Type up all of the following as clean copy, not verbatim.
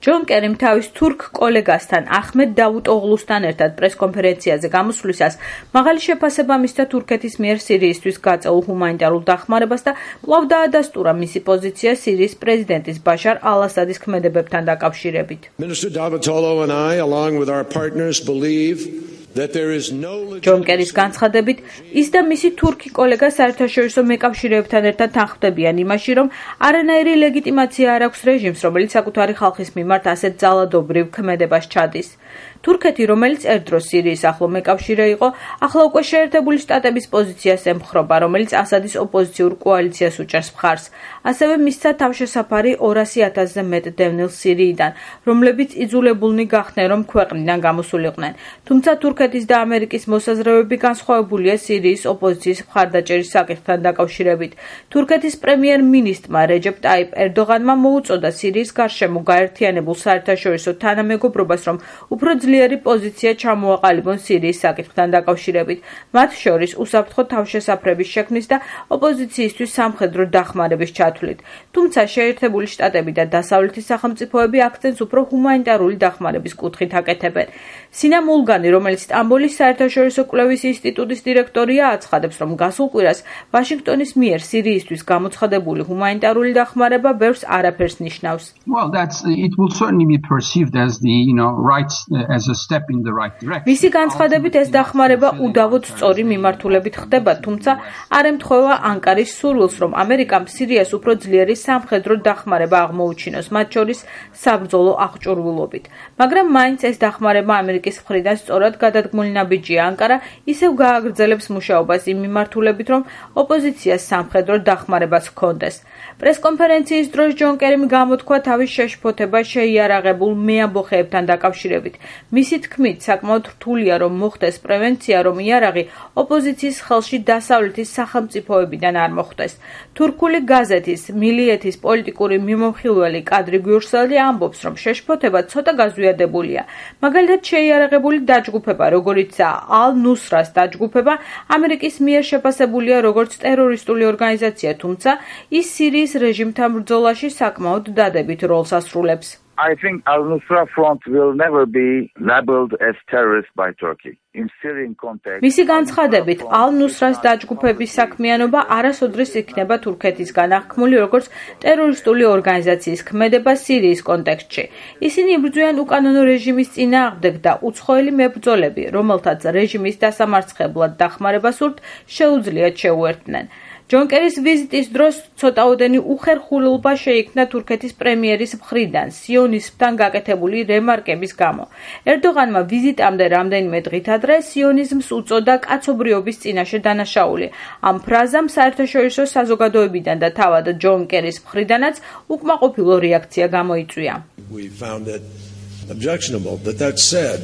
ჯონ კერიმ თავის თურქ კოლეგასთან ახმედ დავუტოღლუსთან ერთად პრესკონფერენციაზე გამოსვლისას მაღალი შეფასება მისცა თურქეთის მიერ სირიისთვის გაწეულ ჰუმანიტარულ დახმარებას და კვლავ დაადასტურა მისი პოზიცია სირიის პრეზიდენტის ბაშარ ალ-ასადის ქმედებებთან დაკავშირებით. Minister Davutoglu and I, along with our partners, believe ჯონ კერის განცხადებით, ის და მისი თურქი კოლეგა საერთაშორისო მეკავშირეებთან ერთად თანხმდებიან იმაში, რომ არანაირი ლეგიტიმაცია არ აქვს რეჟიმს, რომელიც საკუთარი ხალხის მიმართ ასეთ ძალადობრივ ქმედებას ჩადის. თურქეთი, რომელიც ერთდროს სირიის ახლო მეკავშირე იყო, ახლა უკვე შეერთებული შტატების პოზიციას ემხრობა, რომელიც ასადის ოპოზიციურ კოალიციას უჭერს მხარს. ასევე მისცა თავშესაფარი 200,000-ზე მეტ დევნილ სირიიდან, რომლებიც იძულებულნი გახდნენ, რომ ქვეყნიდან გამოსულიყვნენ. თუმცა თურქეთის და ამერიკის მოსაზრებები განსხვავებულია სირიის ოპოზიციის მხარდაჭერის საკითხთან დაკავშირებით. თურქეთის პრემიერ-მინისტრმა რეჯეპ ტაიპ ერდოღანმა მოუწოდა სირიის გარშემო გაერთიანებულ საერთაშორისო თანამეგობრობას, რომ უფრო ძლიერი პოზიცია ჩამოაყალიბონ სირიის საკითხთან დაკავშირებით, მათ შორის უსაფრთხო თავშესაფრების შექმნის და ოპოზიციისთვის სამხედრო დახმარების ჩათვლით. თუმცა შეერთებული შტატები და დასავლეთის სახელმწიფოები აქცენტს უფრო ჰუმანიტარული დახმარების კუთხით აკეთებენ. სინა მულგანი, რომელიც სტამბოლის საერთაშორისო კვლევის ინსტიტუტის დირექტორია, აცხადებს, რომ გასულ კვირას ვაშინგტონის მიერ სირიისთვის გამოცხადებული ჰუმანიტარული დახმარება ბევრს არაფერს ნიშნავს. მისი განცხადებით, ეს დახმარება უდავოდ სწორი მიმართულებით ხდება, თუმცა არ ემთხვევა ანკარის სურვილს, რომ ამერიკამ სირიას უფრო ძლიერი სამხედრო დახმარება აღმოუჩინოს, მათ შორის საბრძოლო აღჭურვილობით. მაგრამ მაინც ეს დახმარება ამერიკის მხრიდან სწორად გადადგმული ნაბიჯია. ანკარა ისევ გააგრძელებს მუშაობას იმ მიმართულებით, რომ ოპოზიციას სამხედრო დახმარებაც ჰქონდეს. პრესკონფერენციის დროს ჯონ კერიმ გამოთქვა თავის შეშფოთება შეიარაღებულ მეამბოხეებთან დაკავშირებით. მისი თქმით, საკმაოდ რთულია, რომ მოხდეს პრევენცია, რომ იარაღი ოპოზიციის ხელში დასავლეთის სახელმწიფოებიდან არ მოხვდეს. თურქული გაზეთის მილიეთის პოლიტიკური მიმომხილველი კადრი გიურსელი ამბობს, რომ შეშფოთება ცოტა გაზვიადებულია. მაგალითად, შეიარაღებული დაჯგუფება, როგორიცაა ალ-ნუსრას დაჯგუფება, ამერიკის მიერ შეფასებულია როგორც ტერორისტული ორგანიზაცია, თუმცა ის სირიის რეჟიმთან ბრძოლაში საკმაოდ დადებით როლს ასრულებს. I think Al-Nusra Front will never be labeled as terrorist by Turkey. In Syrian context. მისი განცხადებით, ალ-ნუსრას დაჯგუფების საქმიანობა არასოდრის იქნება თურქეთისგან აღქმული როგორც ტერორისტული ორგანიზაციის ქმედება სირიის კონტექსტში. ისინი იბრძვიან უკანონო რეჟიმის წინააღმდეგ და უცხოელი მებრძოლები, რომელთაც რეჟიმის დასამარცხებლად დახმარება სურთ, შეუძლიათ შეუერთდნენ. ჯონ კერის ვიზიტის დროს ცოტაოდენი უხერხულობა შეიქმნა თურქეთის პრემიერის მხრიდან სიონიზმთან გაკეთებული რემარკების გამო. ერდოღანმა ვიზიტამდე რამდენიმე დღით ადრე სიონიზმს უწოდა კაცობრიობის წინაშე დანაშაული. ამ ფრაზამ საერთაშორისო საზოგადოებიდან და თავად ჯონ კერის მხრიდანაც უკმაყოფილო რეაქცია გამოიწვია. We found it objectionable that said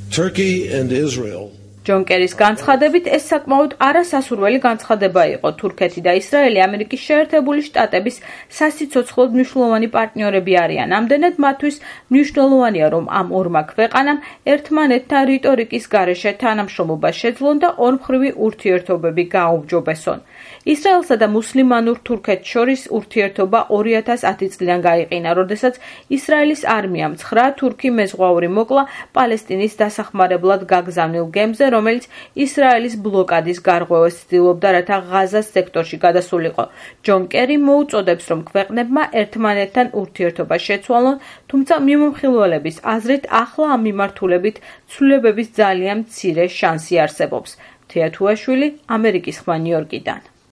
Turkey and Israel ჯონ კერის განცხადებით, ეს საკმაოდ არასასურველი განცხადება იყო. თურქეთი და ისრაელი ამერიკის შეერთებული შტატების სასიცოცხლოდ მნიშვნელოვანი პარტნიორები არიან. ამდენად მათთვის მნიშვნელოვანია, რომ ამ ორმა ქვეყანამ ერთმანეთთან რიტორიკის გარეშე თანამშრომლობა შეძლონ და ორმხრივი ურთიერთობები გააუმჯობესონ. ისრაელსა და მუსლიმანურ თურქეთს შორის ურთიერთობა 2010 წლიდან გაიყინა, როდესაც ისრაელის არმიამ 9 თურქი მეზღვაური მოკლა პალესტინის დასახმარებლად გაგზავნილ გემზე, რომელიც ისრაელის ბლოკადის გარღვევას ცდილობდა, რათა ღაზას სექტორში გადასულიყო. ჯონ კერი მოუწოდებს, რომ ქვეყნებმა ერთმანეთთან ურთიერთობა შეცვალონ, თუმცა მიმომხილველების აზრით ახლა ამ მიმართულებით ცვლილებების ძალიან მცირე შანსი არსებობს. თეათუაშვილი, ამერიკის ხმა ნიუ-იორკიდან.